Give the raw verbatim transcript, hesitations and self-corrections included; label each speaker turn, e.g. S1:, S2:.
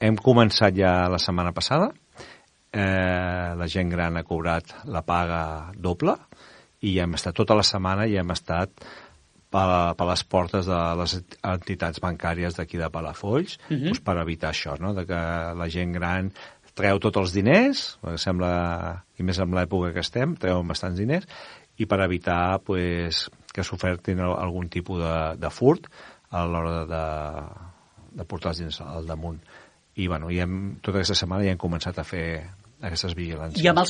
S1: hem començat ja la setmana passada, eh, la gent gran ha cobrat la paga doble i ja hem estat tota la setmana i hem estat per, per les portes de les entitats bancàries d'aquí de Palafolls, uh-huh. doncs per evitar això, no? De que la gent gran treu tots els diners, perquè sembla, i més en l'època que estem, treuen bastants diners, i per evitar pues, que s'ofertin algun tipus de, de furt a l'hora de, de portar els diners al damunt. I bueno, ja hem, tota aquesta setmana ja hem començat a fer aquestes vigilàncies.
S2: I amb els